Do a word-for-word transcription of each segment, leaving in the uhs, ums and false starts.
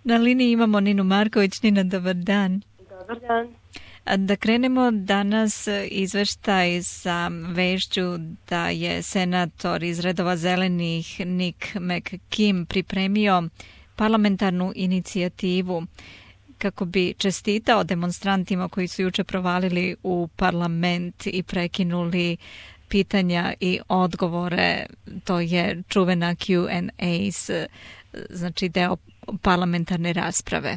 Na liniji imamo Ninu Marković. Nina, dobar dan. Dobar dan. Da krenemo danas izveštaj sa vešću da je senator iz redova zelenih Nick McKim pripremio parlamentarnu inicijativu kako bi čestitao demonstrantima koji su juče provalili u parlament i prekinuli pitanja i odgovore. To je čuvena Q and A, znači deo parlamentarne rasprave.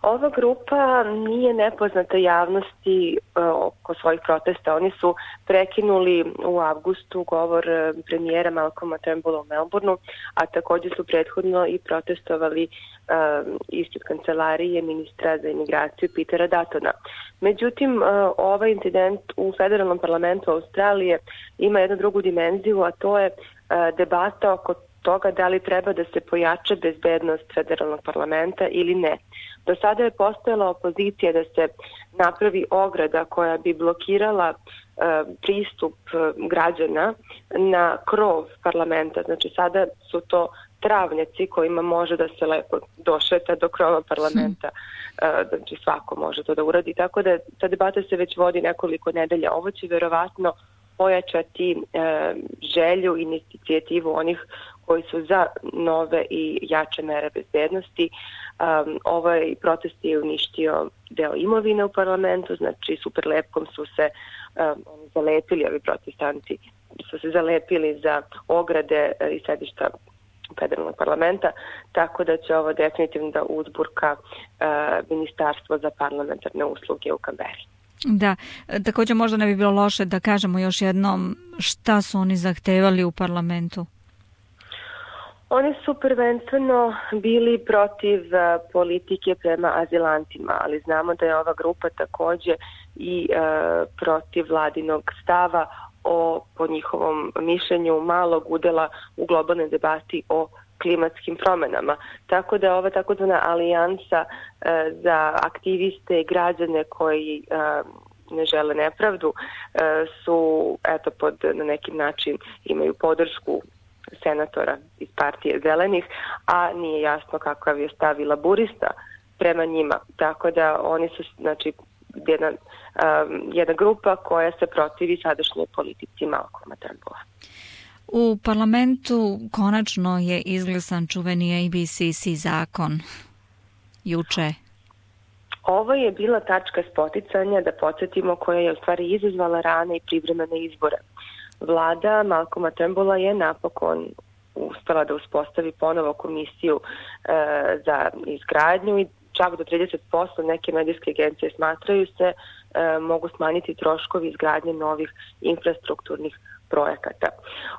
Ova grupa nije nepoznata javnosti oko svojih protesta. Oni su prekinuli u avgustu govor premijera Malcolma Turnbulla u Melbourneu, a također su prethodno i protestovali um, ispred kancelarije ministra za imigraciju Petera Duttona. Međutim, uh, ovaj incident u federalnom parlamentu Australije ima jednu drugu dimenziju, a to je uh, debata oko toga da li treba da se pojača bezbednost federalnog parlamenta ili ne. Do sada je postojala opozicija da se napravi ograda koja bi blokirala e, pristup građana na krov parlamenta. Znači sada su to travnjaci kojima može da se lepo došeta do krova parlamenta. E, znači svako može to da uradi. Tako da ta debata se već vodi nekoliko nedelja. Ovo će verovatno pojačati e, želju i inicijativu onih koji su za nove i jače mere bezbednosti. Um, ovaj protest je uništio deo imovine u parlamentu, znači superlepkom su se um, oni zalepili, ovi protestanti su se zalepili za ograde i sedišta federalnog parlamenta, tako da će ovo definitivno da uzburka uh, Ministarstvo za parlamentarne usluge u Kamberi. Da, također možda ne bi bilo loše da kažemo još jednom šta su oni zahtevali u parlamentu. Oni su prvenstveno bili protiv uh, politike prema azilantima, ali znamo da je ova grupa također i uh, protiv vladinog stava o, po njihovom mišljenju, malog udela u globalnoj debati o klimatskim promjenama. Tako da ova takozvana alijansa uh, za aktiviste i građane koji uh, ne žele nepravdu uh, su eto pod na neki način imaju podršku senatora iz partije zelenih, a nije jasno kakav je stav i laburista prema njima. Tako da oni su znači jedna, um, jedna grupa koja se protivi sadašnjoj politici Malcolma Turnbulla. U parlamentu konačno je izglasan čuveni A B C C zakon juče. Ovo je bila tačka spoticanja, da podsjetimo, koja je u stvari izazvala rane i privremene izbore. Vlada Malcolma Turnbulla je napokon uspela da uspostavi ponovo komisiju e, za izgradnju i čak do trideset posto neke medijske agencije smatraju se e, mogu smanjiti troškovi izgradnje novih infrastrukturnih projekata.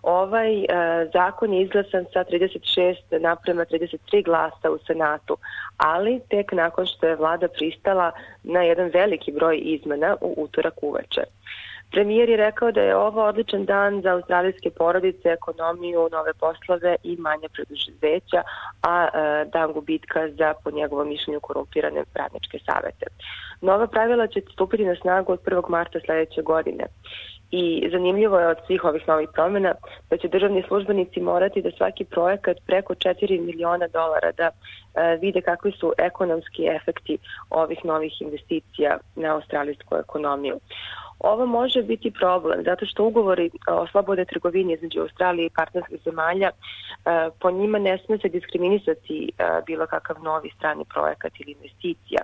Ovaj e, zakon je izglasan sa trideset šest naprema trideset tri glasa u Senatu, ali tek nakon što je vlada pristala na jedan veliki broj izmena u utorak uveče. Premijer je rekao da je ovo odličan dan za australijske porodice, ekonomiju, nove poslove i manje preduzeća, a e, dan gubitka za, po njegovom mišljenju, korumpirane radničke savete. Nova pravila će stupiti na snagu od prvog marta sljedeće godine. I zanimljivo je od svih ovih novih promjena da će državni službenici morati da svaki projekat preko četiri miliona dolara da e, vide kakvi su ekonomski efekti ovih novih investicija na australijsku ekonomiju. Ovo može biti problem, zato što ugovori o slobodnoj trgovini između Australije i partnerskih zemalja, po njima ne smije se diskriminisati bilo kakav novi strani projekat ili investicija,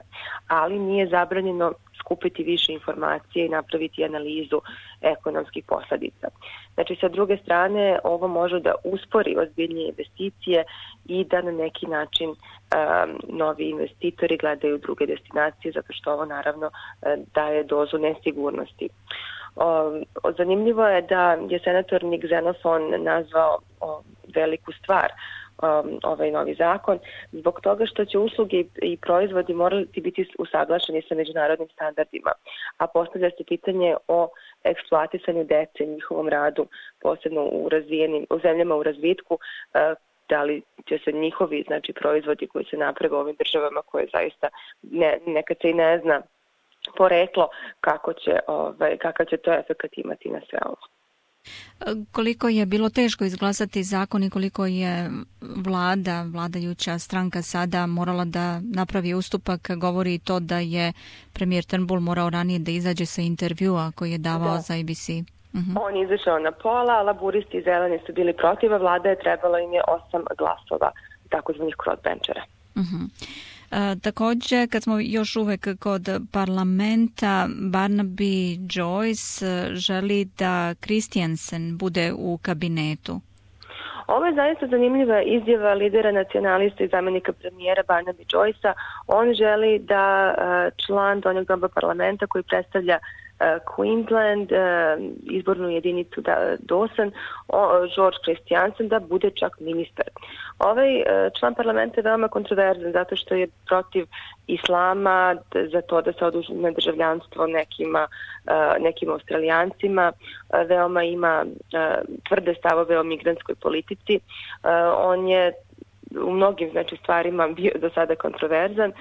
ali nije zabranjeno skupiti više informacije i napraviti analizu ekonomskih posljedica. Znači, sa druge strane, ovo može da uspori ozbiljnije investicije i da na neki način um, novi investitori gledaju druge destinacije, zato što ovo naravno daje dozu nesigurnosti. Um, zanimljivo je da je senator Nick Xenophon nazvao um, veliku stvar um, ovaj novi zakon, zbog toga što će usluge i proizvodi morati biti usaglašeni sa međunarodnim standardima, a postavlja se pitanje o eksploatisanju dece, njihovom radu, posebno u razvijenim, u zemljama u razvitku, uh, da li će se njihovi znači proizvodi koji se naprave u ovim državama koje zaista ne, nekad se i ne zna poreklo kako će, ovaj, kakav će to efekat imati na sve ovo. Koliko je bilo teško izglasati zakon i koliko je vlada, vladajuća stranka sada morala da napravi ustupak, govori i to da je premijer Turnbull morao ranije da izađe sa intervjua koji je davao da. za A B C. Uh-huh. On je izašao na pola, a laburisti i zeleni su bili protiv, a vlada je trebalo im je osam glasova, takozvanih crossbenchera. Uh-huh. E, također, kad smo još uvek kod parlamenta, Barnaby Joyce želi da Christiansen bude u kabinetu. Ovo je zaista zanimljiva izjava lidera nacionalista i zamjenika premijera Barnaby Joycea. On želi da član donjeg doba parlamenta koji predstavlja Queensland, izbornu jedinicu Dawson, George Christiansen, da bude čak ministar. Ovaj član parlamenta je veoma kontroverzan zato što je protiv islama, za to da se oduzme državljanstvo nekima, nekim Australijancima, veoma ima tvrde stavove o migrantskoj politici. On je u mnogim znači, stvarima bio do sada kontroverzan,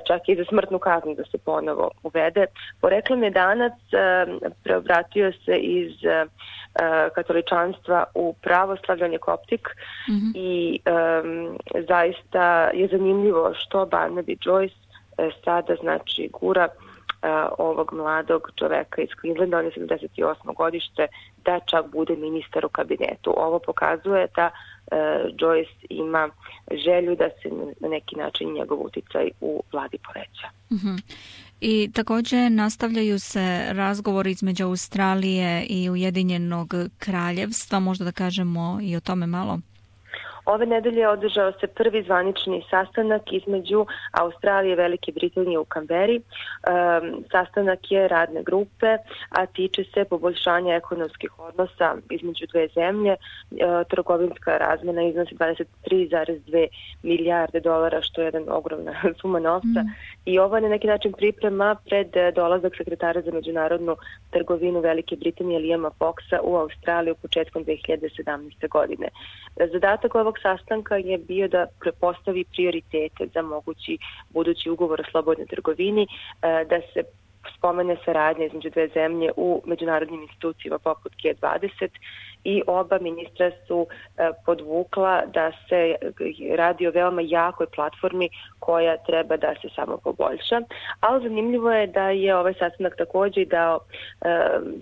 čak i za smrtnu kaznu da se ponovo uvede. Poreklom je Danac, preobratio se iz katoličanstva u pravoslavlje, on je koptik, mm-hmm. i um, zaista je zanimljivo što Barnaby Joyce sada znači gura ovog mladog čoveka iz Queenslanda, on je sedamdeset osmo godište, da čak bude ministar u kabinetu. Ovo pokazuje da uh, Joyce ima želju da se na neki način njegov uticaj u vladi poveća. Uh-huh. I također nastavljaju se razgovori između Australije i Ujedinjenog kraljevstva, možda da kažemo i o tome malo. Ove nedelje održao se prvi zvanični sastanak između Australije i Velike Britanije u Kamberi. E, sastanak je radne grupe, a tiče se poboljšanja ekonomskih odnosa između dve zemlje. E, trgovinska razmjena iznosi dvadeset tri zarez dve milijarde dolara, što je jedan ogromna suma novca. Mm. I ovo je na neki način priprema pred dolazak sekretara za međunarodnu trgovinu Velike Britanije Liama Foxa u Australiju početkom dve hiljade sedamnaeste. godine. Zadatak ovog sastanka je bio da prepostavi prioritete za mogući budući ugovor o slobodnoj trgovini, da se spomene saradnja između dve zemlje u međunarodnim institucijama poput G dvadeset i oba ministra su podvukla da se radi o veoma jakoj platformi koja treba da se samo poboljša. Ali zanimljivo je da je ovaj sastanak također dao e,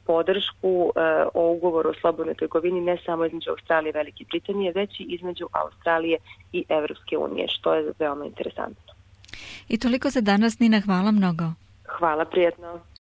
podršku e, o ugovoru o slobodnoj trgovini ne samo između Australije i Velike Britanije, već i između Australije i Evropske unije, što je veoma interesantno. I toliko za danas, Nina, hvala mnogo. Hvala, prijetno.